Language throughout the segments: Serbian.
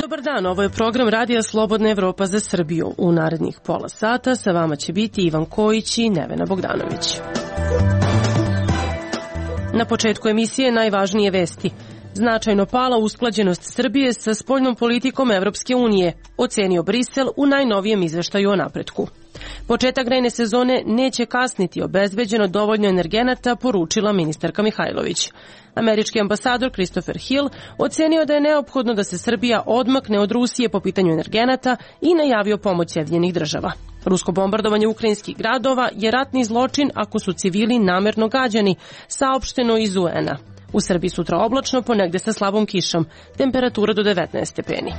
Dobar dan, ovo je program Radija Slobodna Evropa za Srbiju. U narednih pola sata sa vama će biti Ivan Kojić i Nevena Bogdanović. Na početku emisije najvažnije vesti. Značajno pala usklađenost Srbije sa spoljnom politikom Evropske unije, ocenio Brisel u najnovijem izveštaju o napretku. Početak grejne sezone neće kasniti, obezbeđeno dovoljno energenata, poručila ministarka Mihajlović. Američki ambasador Christopher Hill ocenio da je neophodno da se Srbija odmakne od Rusije po pitanju energenata i najavio pomoć Sjedinjenih država. Rusko bombardovanje ukrajinskih gradova je ratni zločin ako su civili namerno gađani, saopšteno iz UN-a. U Srbiji sutra oblačno, ponegde sa slabom kišom, temperatura do 19 stepeni.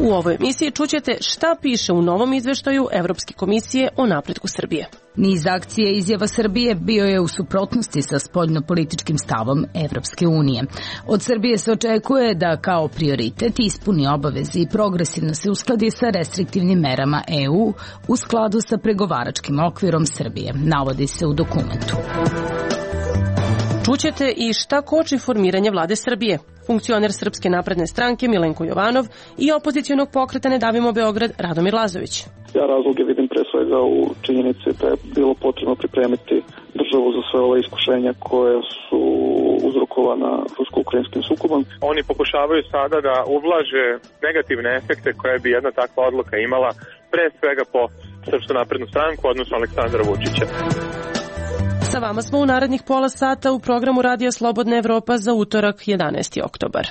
U ovoj emisiji čućete šta piše u novom izveštaju Evropske komisije o napretku Srbije. Niz akcije izjava Srbije bio je u suprotnosti sa spoljnopolitičkim stavom Evropske unije. Od Srbije se očekuje da kao prioritet ispuni obaveze i progresivno se uskladi sa restriktivnim merama EU u skladu sa pregovaračkim okvirom Srbije, navodi se u dokumentu. Čućete i šta koči formiranje vlade Srbije. Funkcioner Srpske napredne stranke Milenko Jovanov i opozicionog pokreta Ne davimo Beograd Radomir Lazović. Ja razloge vidim pre svega u činjenici da je bilo potrebno pripremiti državu za sve ove iskušenja koje su uzrokovana rusko-ukrajinskim sukobom. Oni pokušavaju sada da ublaže negativne efekte koje bi jedna takva odluka imala pre svega po Srpsku naprednu stranku, odnosno Aleksandra Vučića. Sa vama smo u narednih pola sata u programu Radija Slobodna Evropa za utorak 11. oktobar.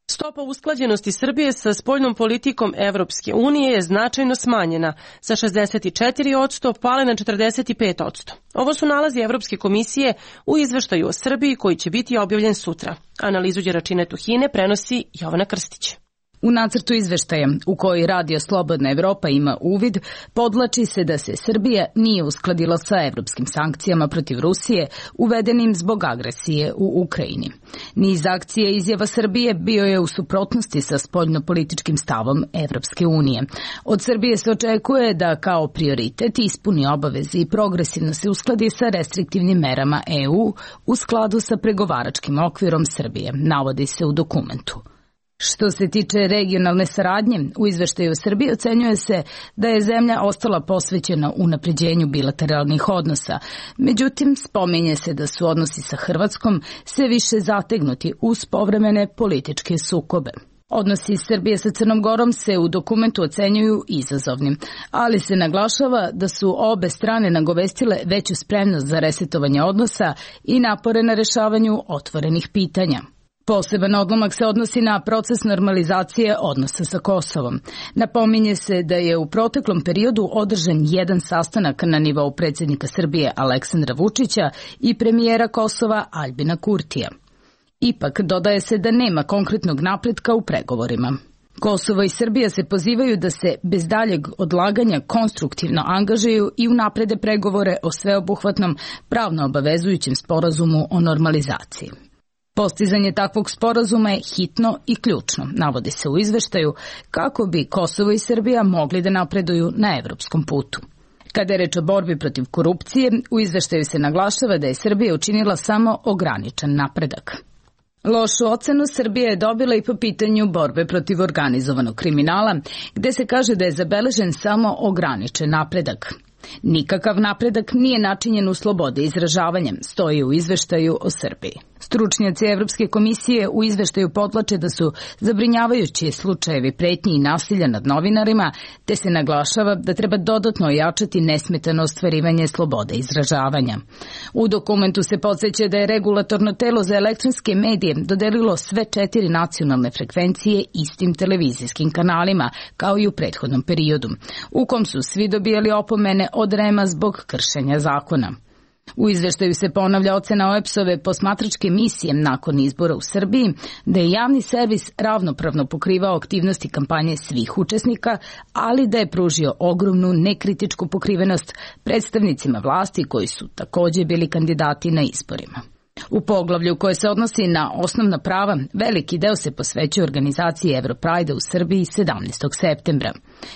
Stopa usklađenosti Srbije sa spoljnom politikom Evropske unije je značajno smanjena, sa 64% pale na 45%. Ovo su nalazi Evropske komisije u izveštaju o Srbiji koji će biti objavljen sutra. Analizu Đeračine Tuhine prenosi Jovana Krstić. U nacrtu izveštaja, u koji Radio Slobodna Evropa ima uvid, podvlači se da se Srbija nije uskladila sa evropskim sankcijama protiv Rusije, uvedenim zbog agresije u Ukrajini. Niz akcije izjava Srbije bio je u suprotnosti sa spoljnopolitičkim stavom Evropske unije. Od Srbije se očekuje da kao prioritet ispuni obaveze i progresivno se uskladi sa restriktivnim merama EU u skladu sa pregovaračkim okvirom Srbije, navodi se u dokumentu. Što se tiče regionalne saradnje, u izveštaju Srbije ocenjuje se da je zemlja ostala posvećena unapređenju bilateralnih odnosa. Međutim, spominje se da su odnosi sa Hrvatskom sve više zategnuti uz povremene političke sukobe. Odnosi Srbije sa Crnom Gorom se u dokumentu ocenjuju izazovnim, ali se naglašava da su obe strane nagovestile veću spremnost za resetovanje odnosa i napore na rešavanju otvorenih pitanja. Poseban odlomak se odnosi na proces normalizacije odnosa sa Kosovom. Napominje se da je u proteklom periodu održan jedan sastanak na nivou predsjednika Srbije Aleksandra Vučića i premijera Kosova Aljbina Kurtija. Ipak, dodaje se da nema konkretnog napretka u pregovorima. Kosovo i Srbija se pozivaju da se bez daljeg odlaganja konstruktivno angažuju i unaprede pregovore o sveobuhvatnom pravno obavezujućem sporazumu o normalizaciji. Postizanje takvog sporazuma je hitno i ključno, navodi se u izveštaju, kako bi Kosovo i Srbija mogli da napreduju na evropskom putu. Kada je reč o borbi protiv korupcije, u izveštaju se naglašava da je Srbija učinila samo ograničen napredak. Lošu ocenu Srbija je dobila i po pitanju borbe protiv organizovanog kriminala, gde se kaže da je zabeležen samo ograničen napredak. Nikakav napredak nije načinjen u slobode izražavanja, stoji u izveštaju o Srbiji. Stručnjaci Evropske komisije u izveštaju podvlače da su zabrinjavajući slučajevi pretnji i nasilja nad novinarima, te se naglašava da treba dodatno ojačati nesmetano ostvarivanje slobode izražavanja. U dokumentu se podseća da je regulatorno telo za elektronske medije dodelilo sve 4 nacionalne frekvencije istim televizijskim kanalima, kao i u prethodnom periodu, u kom su svi dobijali opomene od REM-a zbog kršenja zakona. U izveštaju se ponavlja ocena OEBS-ove posmatračke misije nakon izbora u Srbiji, da je javni servis ravnopravno pokrivao aktivnosti kampanje svih učesnika, ali da je pružio ogromnu nekritičku pokrivenost predstavnicima vlasti koji su takođe bili kandidati na izborima. U poglavlju koje se odnosi na osnovna prava, veliki deo se posvećuje organizaciji Europride u Srbiji 17. septembra.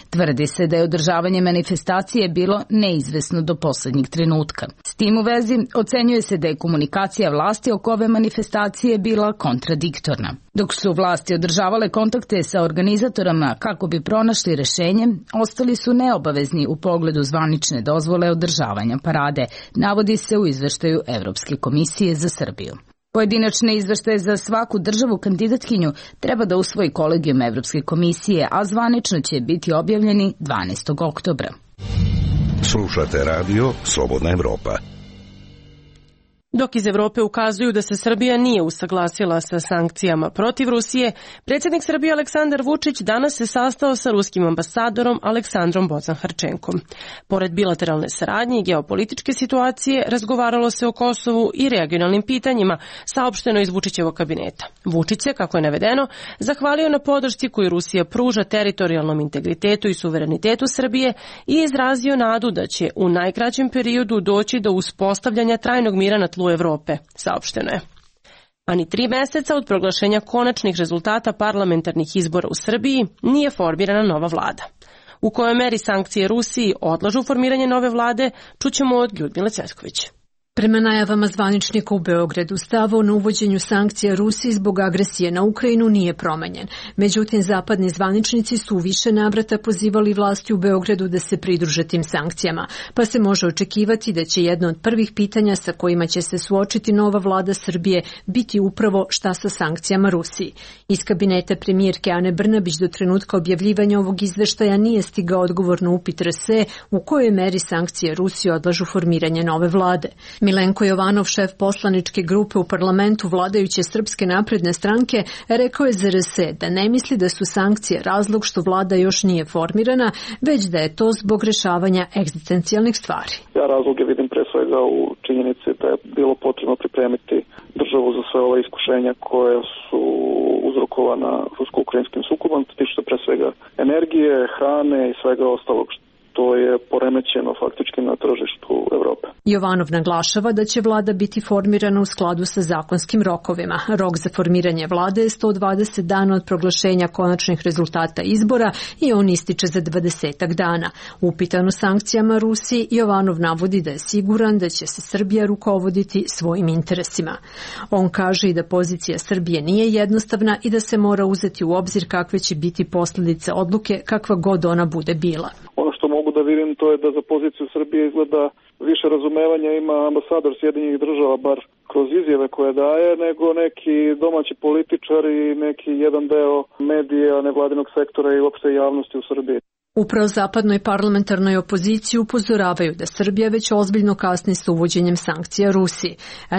Tvrdi se da je održavanje manifestacije bilo neizvesno do poslednjeg trenutka. S tim u vezi ocenjuje se da je komunikacija vlasti oko ove manifestacije bila kontradiktorna. Dok su vlasti održavale kontakte sa organizatorama kako bi pronašli rešenje, ostali su neobavezni u pogledu zvanične dozvole održavanja parade, navodi se u izveštaju Evropske komisije za Srbiju. Pojedinačne izveštaje za svaku državu kandidatkinju treba da usvoji kolegijum Evropske komisije, a zvanično će biti objavljeni 12. oktobra. Slušate radio Slobodna Evropa. Dok iz Evrope ukazuju da se Srbija nije usaglasila sa sankcijama protiv Rusije, predsjednik Srbije Aleksandar Vučić danas se sastao sa ruskim ambasadorom Aleksandrom Bocan-Harčenkom. Pored bilateralne saradnje i geopolitičke situacije, razgovaralo se o Kosovu i regionalnim pitanjima, saopšteno iz Vučićevog kabineta. Vučić se, kako je navedeno, zahvalio na podršci koju Rusija pruža teritorijalnom integritetu i suverenitetu Srbije i izrazio nadu da će u najkraćem periodu doći do uspostavljanja trajnog mira na tlu Evrope, saopšteno je. A ni 3 meseca od proglašenja konačnih rezultata parlamentarnih izbora u Srbiji nije formirana nova vlada. U kojoj meri sankcije Rusiji odlažu formiranje nove vlade, čućemo od Ljudmile Cvetković. Prema najavama zvaničnika u Beogradu, stav o uvođenju sankcija Rusiji zbog agresije na Ukrajinu nije promenjen. Međutim, zapadni zvaničnici su u više navrata pozivali vlasti u Beogradu da se pridruže tim sankcijama, pa se može očekivati da će jedno od prvih pitanja sa kojima će se suočiti nova vlada Srbije biti upravo šta sa sankcijama Rusiji. Iz kabineta premijerke Ane Brnabić do trenutka objavljivanja ovog izveštaja nije stigao odgovor na upit RS u kojoj meri sankcije Rusiji odlažu formiranje nove vlade. Milenko Jovanov, šef poslaničke grupe u parlamentu vladajuće Srpske napredne stranke, rekao je za RS da ne misli da su sankcije razlog što vlada još nije formirana, već da je to zbog rešavanja egzistencijalnih stvari. Ja razloge vidim pre svega u činjenici da je bilo potrebno pripremiti državu za sve ove iskušenja koje su uzrokovana rusko-ukrajinskim sukobom, tiče se pre svega energije, hrane i svega ostalog to je poremećeno faktički na tržištu Evrope. Jovanov naglašava da će vlada biti formirana u skladu sa zakonskim rokovima. Rok za formiranje vlade je 120 dana od proglašenja konačnih rezultata izbora i on ističe za 20 dana. Upitan o sankcijama Rusiji, Jovanov navodi da je siguran da će se Srbija rukovoditi svojim interesima. On kaže i da pozicija Srbije nije jednostavna i da se mora uzeti u obzir kakve će biti posljedice odluke kakva god ona bude bila. Ono što mogu da vidim to je da za poziciju Srbije izgleda više razumevanja ima ambasador Sjedinjenih država, bar kroz izjave koje daje, nego neki domaći političar i neki jedan deo medija, nevladinog sektora i uopšte javnosti u Srbiji. U prozapadnoj parlamentarnoj opoziciji upozoravaju da Srbija već ozbiljno kasni sa uvođenjem sankcija Rusiji.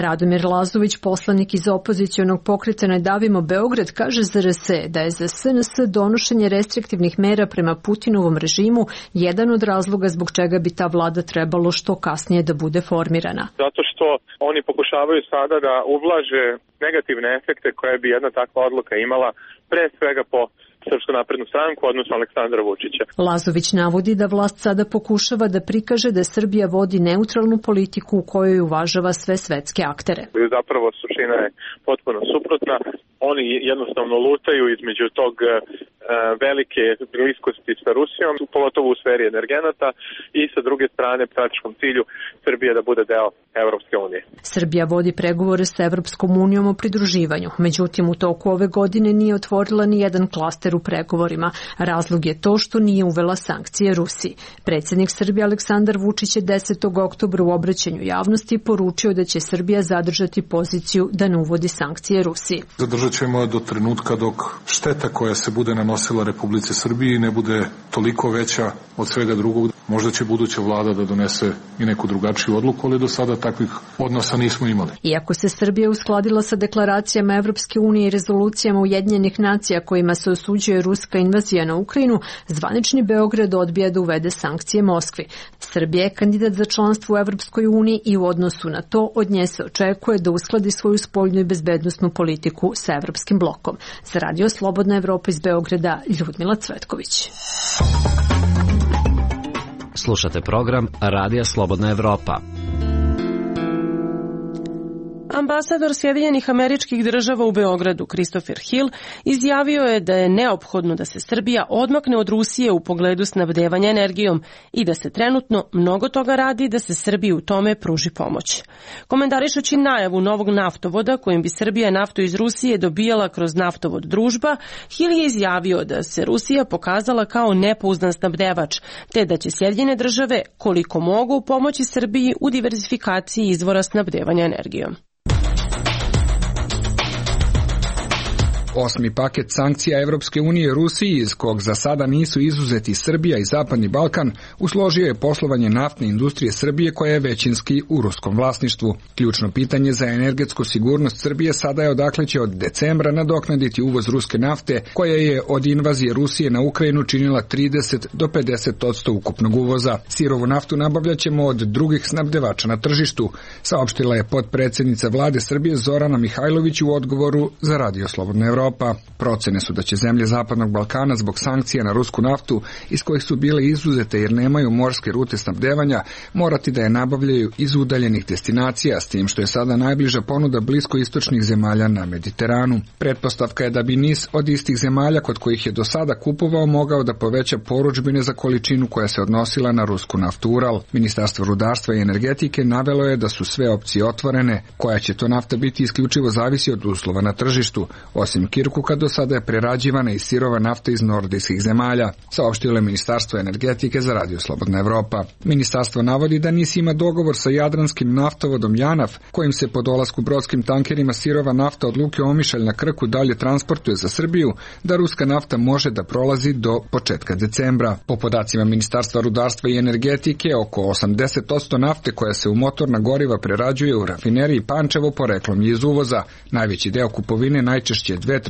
Radomir Lazović, poslanik iz opozicionog pokreta Ne davimo Beograd, kaže za RS da je za SNS donošenje restriktivnih mera prema Putinovom režimu jedan od razloga zbog čega bi ta vlada trebalo što kasnije da bude formirana. Zato što oni pokušavaju sada da ublaže negativne efekte koje bi jedna takva odluka imala, pre svega po Srpsku naprednu stranku, odnosno Aleksandra Vučića. Lazović navodi da vlast sada pokušava da prikaže da Srbija vodi neutralnu politiku u kojoj uvažava sve svetske aktere. Zapravo suština je potpuno suprotna. Oni jednostavno lutaju između tog velike bliskosti sa Rusijom, pogotovo u sferi energenata i sa druge strane praktičkom cilju Srbije da bude deo Evropske unije. Srbija vodi pregovore sa Evropskom unijom o pridruživanju, međutim u toku ove godine nije otvorila ni jedan klaster u pregovorima. Razlog je to što nije uvela sankcije Rusiji. Predsjednik Srbije Aleksandar Vučić je 10. oktobra u obraćanju javnosti poručio da će Srbija zadržati poziciju da ne uvodi sankcije Rusiji. Zadržat ćemo do trenutka dok šteta koja se bude nanosila Republici Srbiji ne bude toliko veća od svega drugog. Možda će buduća vlada da donese i neku drugačiju odluku, ali do sada takvih odnosa nismo imali. Iako se Srbija uskladila sa deklaracijama Evropske unije i rezolucijama Ujedinjenih nacija kojima se osuđuje ruska invazija na Ukrajinu, zvanični Beograd odbija da uvede sankcije Moskvi. Srbija je kandidat za članstvo u Evropskoj uniji i u odnosu na to od nje se očekuje da uskladi svoju spoljnu i bezbednosnu politiku sa Evropskim blokom. Za Radio Slobodna Evropa iz Beograda, Ljudmila Cvetković. Slušate program Radija Slobodna Evropa. Ambasador Sjedinjenih Američkih Država u Beogradu, Christopher Hill, izjavio je da je neophodno da se Srbija odmakne od Rusije u pogledu snabdevanja energijom i da se trenutno mnogo toga radi da se Srbiji u tome pruži pomoć. Komentarišući najavu novog naftovoda kojim bi Srbija naftu iz Rusije dobijala kroz naftovod Družba, Hill je izjavio da se Rusija pokazala kao nepouzdan snabdevač, te da će Sjedinjene Države koliko mogu pomoći Srbiji u diverzifikaciji izvora snabdevanja energijom. Osmi paket sankcija Evropske unije Rusiji, iz kog za sada nisu izuzeti Srbija i Zapadni Balkan, usložio je poslovanje naftne industrije Srbije koja je većinski u ruskom vlasništvu. Ključno pitanje za energetsku sigurnost Srbije sada je odakle će od decembra nadoknaditi uvoz ruske nafte, koja je od invazije Rusije na Ukrajinu činila 30 do 50% ukupnog uvoza. Sirovu naftu nabavljaćemo od drugih snabdevača na tržištu, saopštila je potpredsednica vlade Srbije Zorana Mihajlović u odgovoru za Radio Slobodna Evropa. Procene su da će zemlje Zapadnog Balkana zbog sankcija na rusku naftu, iz kojih su bile izuzete jer nemaju morske rute snabdevanja, morati da je nabavljaju iz udaljenih destinacija, s tim što je sada najbliža ponuda bliskoistočnih zemalja na Mediteranu. Pretpostavka je da bi niz od istih zemalja kod kojih je do sada kupovao mogao da poveća porudžbine za količinu koja se odnosila na rusku naftu Ural. Ministarstvo rudarstva i energetike navelo je da su sve opcije otvorene, koja će to nafta biti isključivo zavisi od uslova na tržištu, osim Kirkuka do sada je prerađivana i sirova nafta iz nordijskih zemalja, saopštilo je Ministarstvo energetike za Radio Slobodna Evropa. Ministarstvo navodi da NIS ima dogovor sa jadranskim naftovodom JANAF, kojim se po dolasku brodskim tankerima sirova nafta od luke Omišalj na Krku dalje transportuje za Srbiju, da ruska nafta može da prolazi do početka decembra. Po podacima Ministarstva rudarstva i energetike, oko 80% nafte koja se u motorna goriva prerađuje u rafineriji Pančevo poreklom je iz uvoza. Najveći deo kupovine, najčešće 2/3,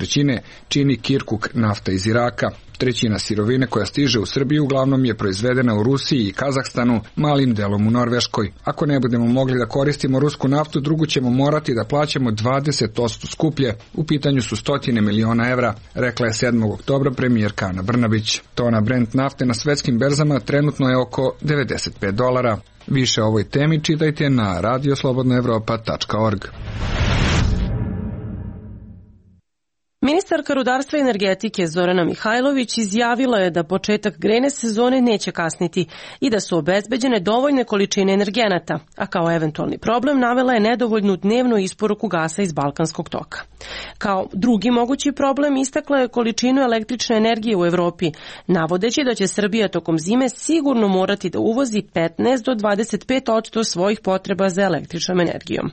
čini Kirkuk nafta iz Iraka. Trećina sirovine koja stiže u Srbiju uglavnom je proizvedena u Rusiji i Kazahstanu, malim delom u Norveškoj. Ako ne budemo mogli da koristimo rusku naftu, drugu ćemo morati da plaćamo 20% skuplje. U pitanju su 100 miliona evra, rekla je 7. oktobra premijerka Ana Brnabić. Tona Brent nafte na svetskim berzama trenutno je oko $95. Više o ovoj temi čitajte na radioslobodnaevropa.org. Ministarka rudarstva i energetike Zorana Mihajlović izjavila je da početak grejne sezone neće kasniti i da su obezbeđene dovoljne količine energenata, a kao eventualni problem navela je nedovoljnu dnevnu isporuku gasa iz Balkanskog toka. Kao drugi mogući problem istakla je količinu električne energije u Evropi, navodeći da će Srbija tokom zime sigurno morati da uvozi 15 do 25% svojih potreba za električnom energijom.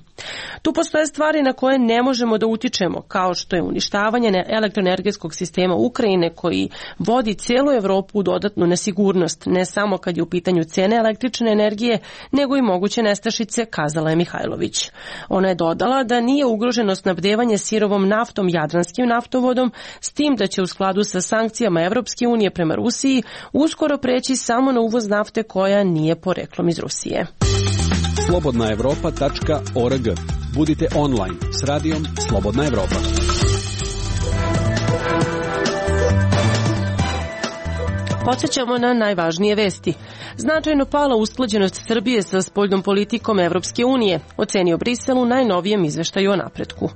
Tu postoje stvari na koje ne možemo da utičemo, kao što je uništavanje elektroenergetskog sistema Ukrajine koji vodi celu Evropu u dodatnu nesigurnost, ne samo kad je u pitanju cene električne energije, nego i moguće nestašice, kazala je Mihajlović. Ona je dodala da nije ugroženo snabdevanje sirovom naftom jadranskim naftovodom, s tim da će u skladu sa sankcijama Evropske unije prema Rusiji uskoro preći samo na uvoz nafte koja nije poreklom iz Rusije. slobodnaevropa.org. Budite online s radijom Slobodna Evropa. Podsjećamo na najvažnije vesti. Značajno pala usklađenost Srbije sa spoljnom politikom Evropske unije, ocenio Brisel u najnovijem izveštaju o napretku.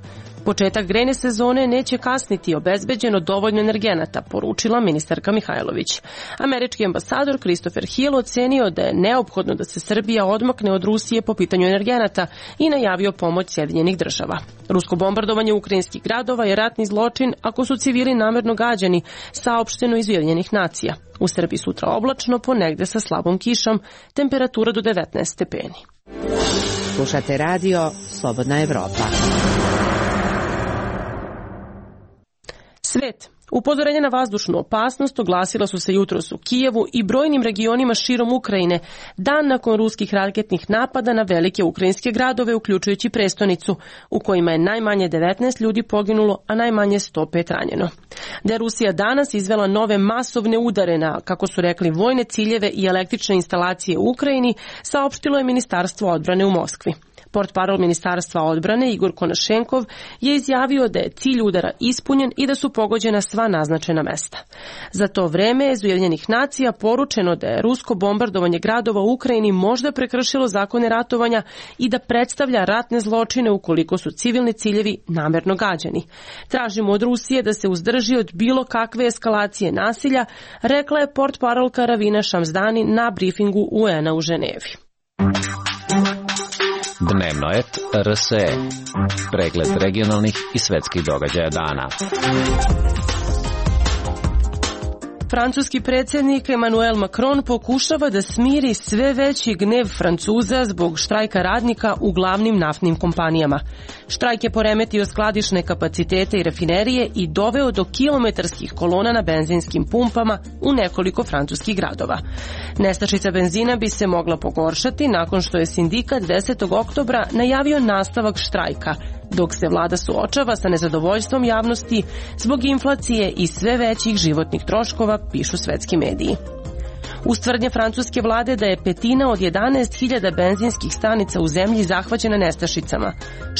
Početak grejne sezone neće kasniti, obezbeđeno dovoljno energenata, poručila ministarka Mihajlović. Američki ambasador Christopher Hill ocenio da je neophodno da se Srbija odmakne od Rusije po pitanju energenata i najavio pomoć Sjedinjenih Država. Rusko bombardovanje ukrajinskih gradova je ratni zločin ako su civili namerno gađani, saopšteno iz Ujedinjenih nacija. U Srbiji sutra oblačno, ponegde sa slabom kišom, temperatura do 19 stepeni. Slušate radio Slobodna Evropa. Svet. Upozorenja na vazdušnu opasnost oglasila su se jutros u Kijevu i brojnim regionima širom Ukrajine, dan nakon ruskih raketnih napada na velike ukrajinske gradove, uključujući prestonicu, u kojima je najmanje 19 ljudi poginulo, a najmanje 105 ranjeno. Da je Rusija danas izvela nove masovne udare na, kako su rekli, vojne ciljeve i električne instalacije u Ukrajini, saopštilo je Ministarstvo odbrane u Moskvi. Portparol Ministarstva odbrane Igor Konašenkov je izjavio da je cilj udara ispunjen i da su pogođena sva naznačena mesta. Za to vreme je iz Ujedinjenih nacija poručeno da je rusko bombardovanje gradova u Ukrajini možda prekršilo zakone ratovanja i da predstavlja ratne zločine ukoliko su civilni ciljevi namerno gađani. Tražimo od Rusije da se uzdrži od bilo kakve eskalacije nasilja, rekla je portparolka Ravina Šamzdani na brifingu UN-a u Ženevi. Dnevno et RSE. Pregled regionalnih i svetskih događaja dana. Francuski predsjednik Emmanuel Macron pokušava da smiri sve veći gnev Francuza zbog štrajka radnika u glavnim naftnim kompanijama. Štrajk je poremetio skladišne kapacitete i rafinerije i doveo do kilometarskih kolona na benzinskim pumpama u nekoliko francuskih gradova. Nestašica benzina bi se mogla pogoršati nakon što je sindikat 10. oktobra najavio nastavak štrajka, dok se vlada suočava sa nezadovoljstvom javnosti zbog inflacije i sve većih životnih troškova, pišu svetski mediji. Uz tvrdnje francuske vlade da je petina od 11.000 benzinskih stanica u zemlji zahvaćena nestašicama.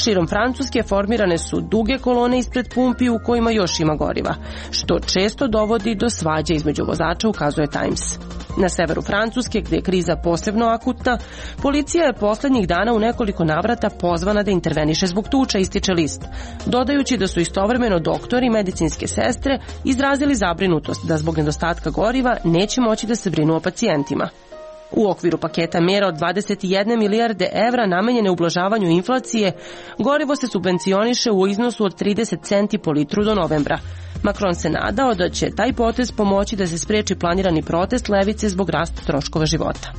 Širom Francuske formirane su duge kolone ispred pumpi u kojima još ima goriva, što često dovodi do svađa između vozača, ukazuje Times. Na severu Francuske, gde je kriza posebno akutna, policija je poslednjih dana u nekoliko navrata pozvana da interveniše zbog tuča, ističe list, dodajući da su istovremeno doktori i medicinske sestre izrazili zabrinutost da zbog nedostatka goriva neće moći da se brinu o pacijentima. U okviru paketa mjera od 21 milijarde evra namenjene ublažavanju inflacije, gorivo se subvencioniše u iznosu od 30 centi po litru do novembra. Macron se nadao da će taj potez pomoći da se spreči planirani protest levice zbog rasta troškova života.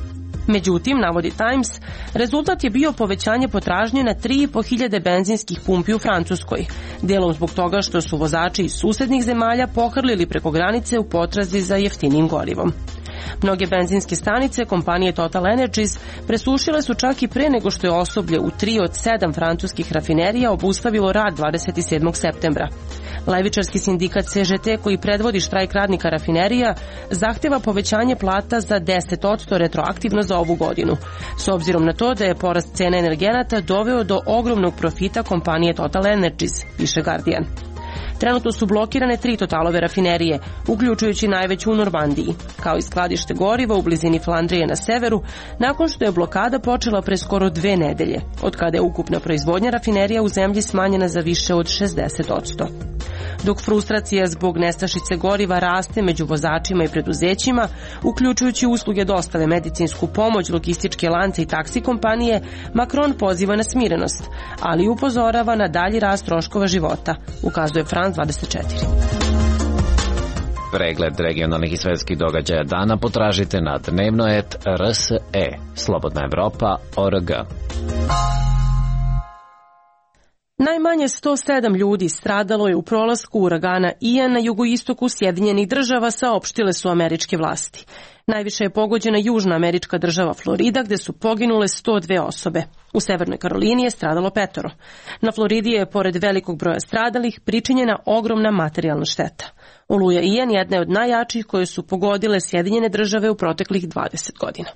Međutim, navodi Times, rezultat je bio povećanje potražnje na 3.500 benzinskih pumpi u Francuskoj, delom zbog toga što su vozači iz susednih zemalja pohrlili preko granice u potrazi za jeftinim gorivom. Mnoge benzinske stanice kompanije Total Energies presušile su čak i pre nego što je osoblje u 3 od 7 francuskih rafinerija obustavilo rad 27. septembra. Levičarski sindikat CGT, koji predvodi štrajk radnika rafinerija, zahteva povećanje plata za 10% retroaktivno za ovu godinu, s obzirom na to da je porast cene energenata doveo do ogromnog profita kompanije Total Energies, piše Guardian. Trenutno su blokirane 3 Totalove rafinerije, uključujući najveću u Normandiji, kao i skladište goriva u blizini Flandrije na severu, nakon što je blokada počela pre skoro 2 nedelje, od kada je ukupna proizvodnja rafinerija u zemlji smanjena za više od 60%. Dok frustracija zbog nestašice goriva raste među vozačima i preduzećima, uključujući usluge dostave, medicinsku pomoć, logističke lance i taksi kompanije, Macron poziva na smirenost, ali upozorava na dalji rast troškova života, ukazuje France 24. Pregled regionalnih i svetskih događaja dana potražite na dnevnoet.rse, Slobodna Evropa.org. Najmanje 107 ljudi stradalo je u prolasku uragana Ian na jugoistoku Sjedinjenih Država, saopštile su američke vlasti. Najviše je pogođena južna američka država Florida, gde su poginule 102 osobe. U Severnoj Karolini je stradalo 5. Na Floridi je, pored velikog broja stradalih, pričinjena ogromna materijalna šteta. Oluja Ian jedna je od najjačih koje su pogodile Sjedinjene Države u proteklih 20 godina.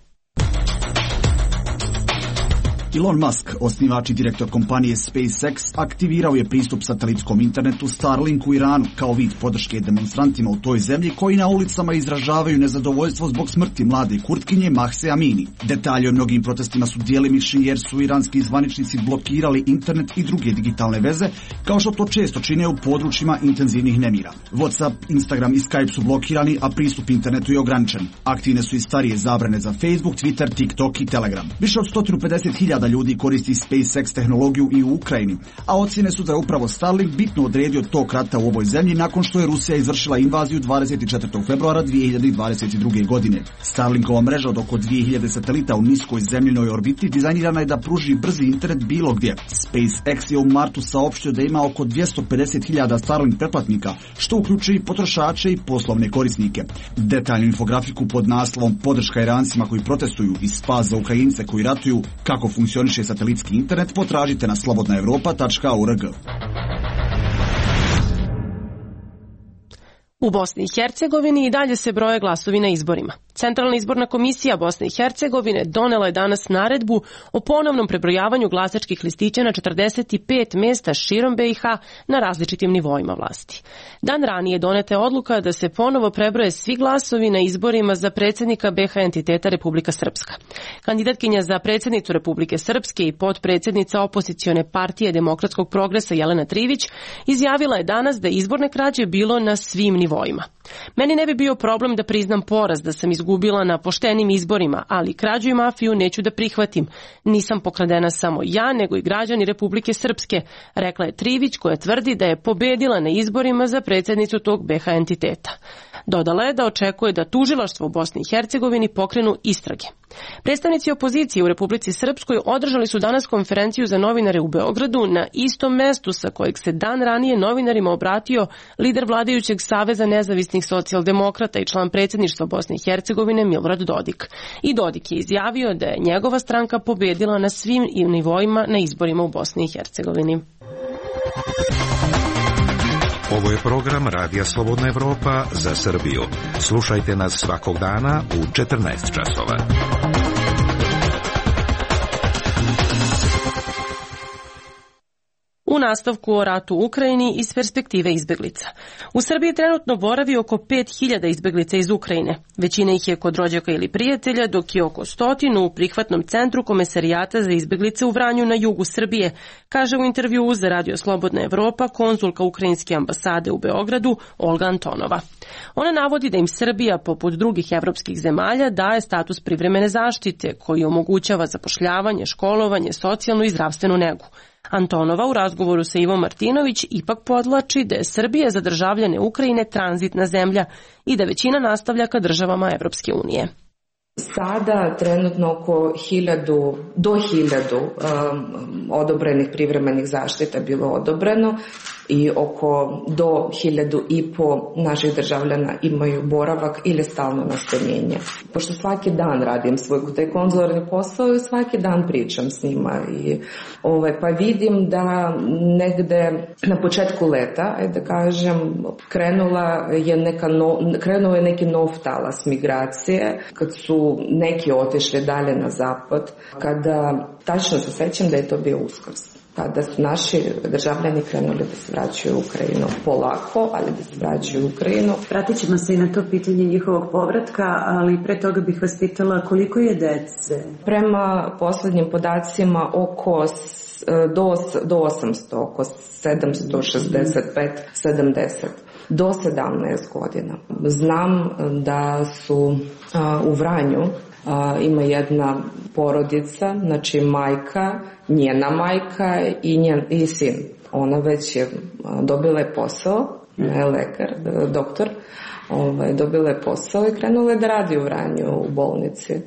Elon Musk, osnivač i direktor kompanije SpaceX, aktivirao je pristup satelitskom internetu Starlink u Iranu kao vid podrške demonstrantima u toj zemlji koji na ulicama izražavaju nezadovoljstvo zbog smrti mlade Kurtkinje Mahse Amini. Detalji o mnogim protestima su djelimični jer su iranski zvaničnici blokirali internet i druge digitalne veze, kao što to često čine u područjima intenzivnih nemira. WhatsApp, Instagram i Skype su blokirani, a pristup internetu je ograničen. Aktivne su i starije zabrane za Facebook, Twitter, TikTok i Telegram. Više od 150.000 ljudi koristi SpaceX tehnologiju i u Ukrajini, a ocjene su da je upravo Starlink bitno odredio tok rata u ovoj zemlji nakon što je Rusija izvršila invaziju 24. februara 2022. godine. Starlinkova mreža od oko 2000 satelita u niskoj zemljinoj orbiti dizajnirana je da pruži brzi internet bilo gdje. SpaceX je u martu saopštio da ima oko 250.000 Starlink pretplatnika, što uključuje i potrošače i poslovne korisnike. Detaljnu infografiku pod naslovom "Podrška Irancima koji protestuju i spas za Ukrajince koji ratuju, kako funkcioniše satelitski internet" potražite na slobodnaevropa.org. U Bosni i Hercegovini i dalje se broje glasovi na izborima. Centralna izborna komisija Bosne i Hercegovine donela je danas naredbu o ponovnom prebrojavanju glasačkih listića na 45 mesta širom BiH na različitim nivoima vlasti. Dan ranije doneta je odluka da se ponovo prebroje svi glasovi na izborima za predsjednika BiH entiteta Republika Srpska. Kandidatkinja za predsjednicu Republike Srpske i potpredsjednica opozicione partije Demokratskog progresa Jelena Trivić izjavila je danas da izborne krađe bilo na svim nivoima. Meni ne bi bio problem da priznam poraz, da sam izgubila na poštenim izborima, ali krađu i mafiju neću da prihvatim. Nisam pokradena samo ja, nego i građani Republike Srpske, rekla je Trivić, koja tvrdi da je pobedila na izborima za predsjednicu tog BiH entiteta. Dodala je da očekuje da tužilaštvo u Bosni i Hercegovini pokrenu istrage. Predstavnici opozicije u Republici Srpskoj održali su danas konferenciju za novinare u Beogradu na istom mestu sa kojeg se dan ranije novinarima obratio lider vladajućeg Saveza nezavisnih socijaldemokrata i član predsjedništva Bosne i Hercegovine Milorad Dodik. I Dodik je izjavio da je njegova stranka pobedila na svim nivoima na izborima u Bosni i Hercegovini. Ovo je program Radija Slobodna Evropa za Srbiju. Slušajte nas svakog dana u 14 časova. U nastavku o ratu u Ukrajini iz perspektive izbeglica. U Srbiji trenutno boravi oko 5000 izbeglica iz Ukrajine. Većina ih je kod rođaka ili prijatelja, dok je oko 100 u prihvatnom centru Komesarijata za izbeglice u Vranju na jugu Srbije, kaže u intervjuu za Radio Slobodna Evropa konzulka Ukrajinske ambasade u Beogradu Olga Antonova. Ona navodi da im Srbija, poput drugih evropskih zemalja, daje status privremene zaštite koji omogućava zapošljavanje, školovanje, socijalnu i zdravstvenu negu. Antonova u razgovoru sa Ivom Martinović ipak podlači da je Srbija za državljane Ukrajine tranzitna zemlja i da većina nastavlja ka državama Evropske unije. Sada trenutno oko 1000 do 1000 odobrenih privremenih zaštita bilo odobreno i oko do 1500 naših državljana imaju boravak ili stalno nastanjenje. Pošto svaki dan radim svoj taj konzularni posao i svaki dan pričam s njima i pa vidim da negde na početku leta, da kažem, krenuo je neki nov talas migracije, kad su neki otišli dalje na zapad, kada tačno se sećam da je to bio Uskrs, kada su naši državljani krenuli da se vraćaju u Ukrajinu polako, ali da se vraćaju u Ukrajinu. Vratit ćemo se i na to pitanje njihovog povratka, ali pre toga bih vas pitala koliko je dece? Prema poslednjim podacima do 800, oko 765-70. Do 17 godina. Znam da su u Vranju ima jedna porodica, znači majka, njena majka i sin. Ona već je dobila je posao, ne lekar, doktor, dobila je posao i krenula je da radi u Vranju u bolnici.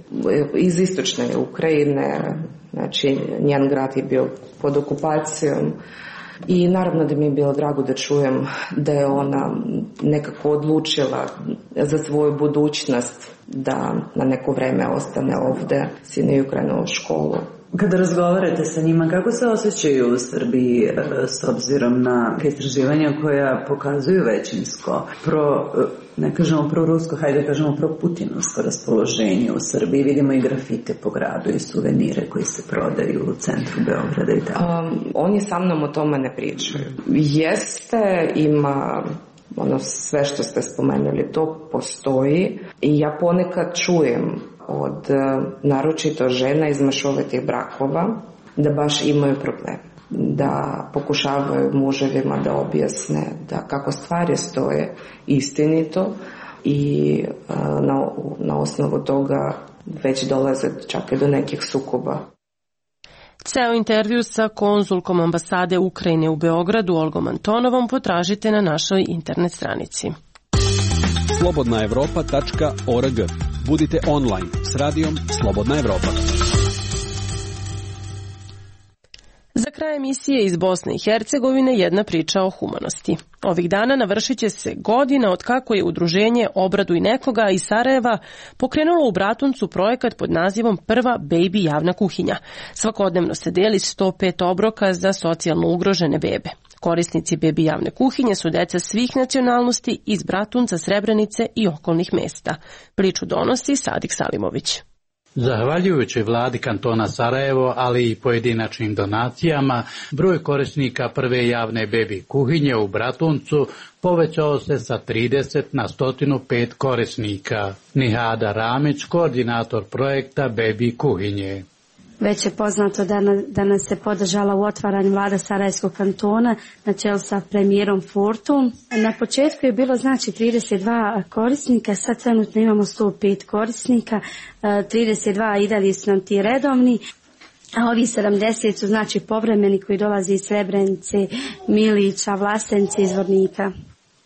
Iz istočne Ukrajine, znači njen grad je bio pod okupacijom. I naravno da mi je bilo drago da čujem da je ona nekako odlučila za svoju budućnost da na neko vreme ostane ovde, sin je krenuo u školu. Kada razgovarate sa njima, kako se osjećaju u Srbiji s obzirom na istraživanja koja pokazuju većinsko ne kažemo pro-rusko, hajde kažemo pro-putinovsko raspoloženje u Srbiji? Vidimo i grafite po gradu i suvenire koji se prodaju u centru Beograda i tako. Oni sa mnom o tome ne pričaju. Jeste, ima sve što ste spomenuli, to postoji i ja ponekad čujem od naročito žena iz mešovitih brakova da baš imaju problem, da pokušavaju muževima da objasne da kako stvari stoje istinito i na osnovu toga već dolaze čak i do nekih sukoba. Ceo intervju sa konzulkom ambasade Ukrajine u Beogradu Olgom Antonovom potražite na našoj internet stranici. slobodnaevropa.org. Budite online s radijom Slobodna Evropa. Za kraj emisije iz Bosne i Hercegovine jedna priča o humanosti. Ovih dana navršit će se godina od kako je udruženje Obraduj nekoga iz Sarajeva pokrenulo u Bratuncu projekat pod nazivom Prva baby javna kuhinja. Svakodnevno se deli 105 obroka za socijalno ugrožene bebe. Korisnici bebi javne kuhinje su deca svih nacionalnosti iz Bratunca, Srebrenice i okolnih mesta. Priču donosi Sadik Salimović. Zahvaljujući vladi kantona Sarajevo, ali i pojedinačnim donacijama, broj korisnika prve javne bebi kuhinje u Bratuncu povećao se sa 30 na 105 korisnika. Nihada Ramić, koordinator projekta bebi kuhinje. Već je poznato da nas se podržala u otvaranju vlada Sarajevskog kantona na čelu sa premijerom Fortum. Na početku je bilo 32 korisnika, sad trenutno imamo 105 korisnika, 32 i dalje su nam ti redovni, a ovi 70 su povremeni koji dolaze iz Srebrenice, Milića, Vlasenice, iz Zvornika.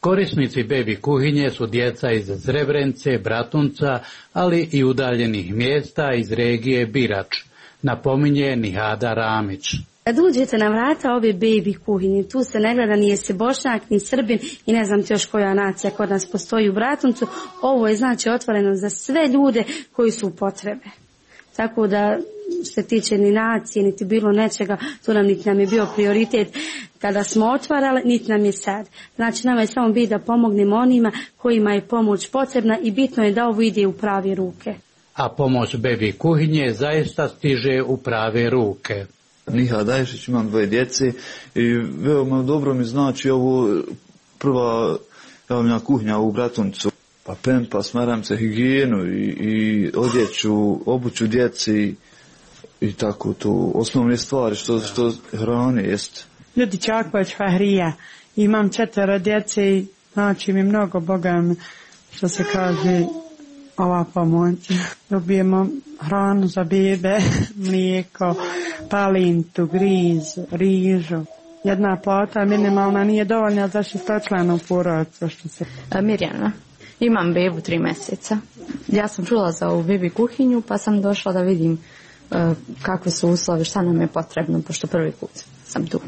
Korisnici bebi kuhinje su djeca iz Srebrenice, Bratunca, ali i udaljenih mjesta iz regije Birač, napominje Nihada Ramić. Kad uđete na vrata ove bebi kuhinje, tu se ne gleda ni se Bošnjak, ni Srbin i ne znam ti još koja nacija kod nas postoji u Bratuncu. Ovo je otvoreno za sve ljude koji su u potrebe. Tako da što se tiče ni nacije, niti bilo nečega, tu niti nam je bio prioritet kada smo otvarali, niti nam je sad. Nama je samo biti da pomognemo onima kojima je pomoć potrebna i bitno je da ovo ide u prave ruke. A pomoć bebi kuhinje zaista stiže u prave ruke. Niha Daješić, imam 2 djece i veoma dobro mi znači ovo prva javna kuhinja u Bratuncu. Pa pempas, maramce, higijenu i odjeću, obuću djeci i tako to osnovne stvari što hrane jest. Ljudi Čaković Fahrija, imam 4 djece i znači mi mnogo Boga mi, što se kaže, ova pomoć. Dobijemo hranu za bebe, mlijeko, palintu, griz, rižu. Jedna plata minimalna nije dovoljna za 6-članu porodicu. Mirjana. Imam bebu 3 mjeseca. Ja sam čula za ovu bebi kuhinju pa sam došla da vidim kakve su uslovi, šta nam je potrebno, pošto prvi put sam tu.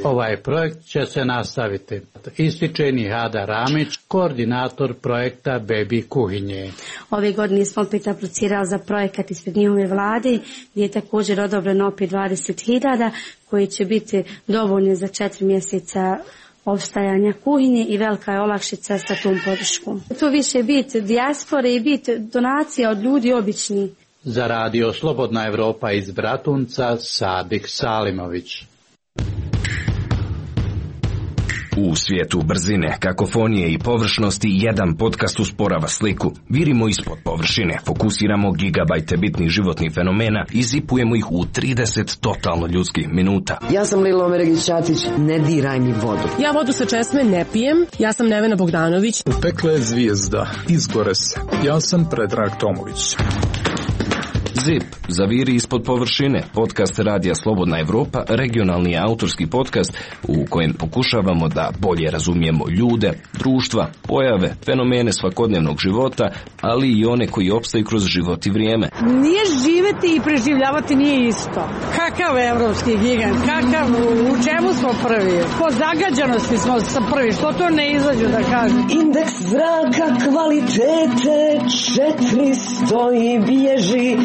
Ovaj projekt će se nastaviti, ističe Nihada Ramić, koordinator projekta bebi kuhinje. Ove godine smo opet aplicirali za projekat ispred njihove vlade, gdje je također odobreno opet 20.000 koji će biti dovoljni za 4 mjeseca opstajanja kuhinje i velika je olakšica sa tom podrškom. Tu više biti dijaspore i biti donacija od ljudi obični. Za radio Slobodna Evropa iz Bratunca, Sadik Salimović. U svijetu brzine, kakofonije i površnosti jedan podcast usporava sliku. Virimo ispod površine, fokusiramo gigabajte bitnih životnih fenomena i zipujemo ih u 30 totalno ljudskih minuta. Ja sam Lilo Meregić-Ćatić, ne diraj mi vodu. Ja vodu sa česme ne pijem, ja sam Nevena Bogdanović. Upekla je zvijezda, izgore se. Ja sam Predrag Tomović. ZIP, zaviri ispod površine, podcast Radija Slobodna Evropa, regionalni autorski podcast u kojem pokušavamo da bolje razumijemo ljude, društva, pojave, fenomene svakodnevnog života, ali i one koji opstaju kroz život i vrijeme. Nije živeti i preživljavati nije isto. Kakav evropski gigant, u čemu smo prvi? Po zagađenosti smo prvi, što to ne izađu da kažem? Indeks zraka kvalitete 400 i bježi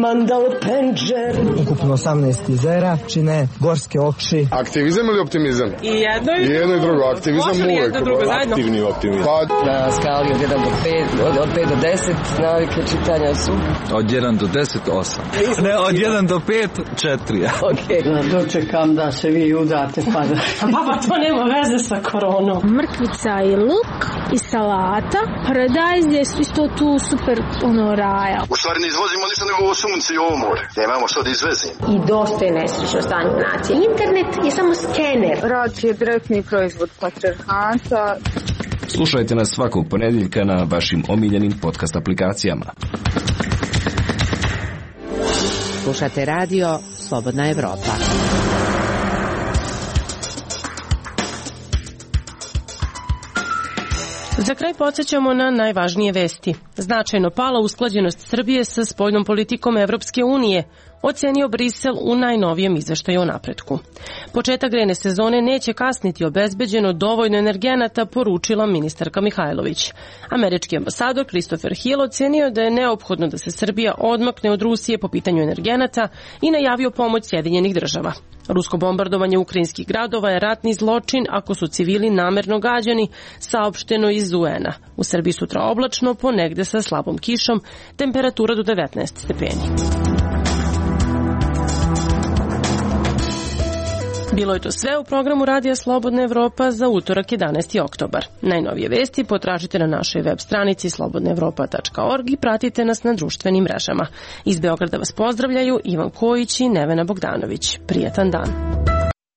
Mandal Penđer. Ukupno 18 jezera čine gorske okši. Aktivizam ili optimizam? I jedno i drugo. Aktivizam uvijek. Aktivni optimizam. Na skali od 1 do 5, od 5 do 10 navike čitanja su? Od 1 do 10, 8. Ne, od 1 do 5, 4. Ok. Dočekam da se vi udate pa da... Baba, to nema veze sa koronom. Mrkvica i luk i salata. Paradajz je isto tu super raja. U stvari ne izvozimo ništa nego ovo sunce i ovo more. Nemamo što da izvezimo. I dosta je nesrećno stanje nacije. Internet je samo skener. Rad je direktni proizvod patrijarhata. Slušajte nas svakog ponedjeljka na vašim omiljenim podcast aplikacijama. Slušate radio Slobodna Evropa. Za kraj podsjećamo na najvažnije vesti. Značajno pala usklađenost Srbije sa spoljnom politikom Evropske unije. ocenio Brisel u najnovijem izveštaju o napretku. Početak grejne sezone neće kasniti, obezbeđeno dovoljno energenata, poručila ministarka Mihajlović. Američki ambasador Christopher Hill ocenio da je neophodno da se Srbija odmakne od Rusije po pitanju energenata i najavio pomoć Sjedinjenih država. Rusko bombardovanje ukrajinskih gradova je ratni zločin ako su civili namerno gađani, saopšteno iz UN-a. U Srbiji sutra oblačno, ponegde sa slabom kišom, temperatura do 19 stepeni. Bilo je to sve u programu Radija Slobodna Evropa za utorak 11. oktobar. Najnovije vesti potražite na našoj web stranici slobodnaevropa.org i pratite nas na društvenim mrežama. Iz Beograda vas pozdravljaju Ivan Kojić i Nevena Bogdanović. Prijatan dan.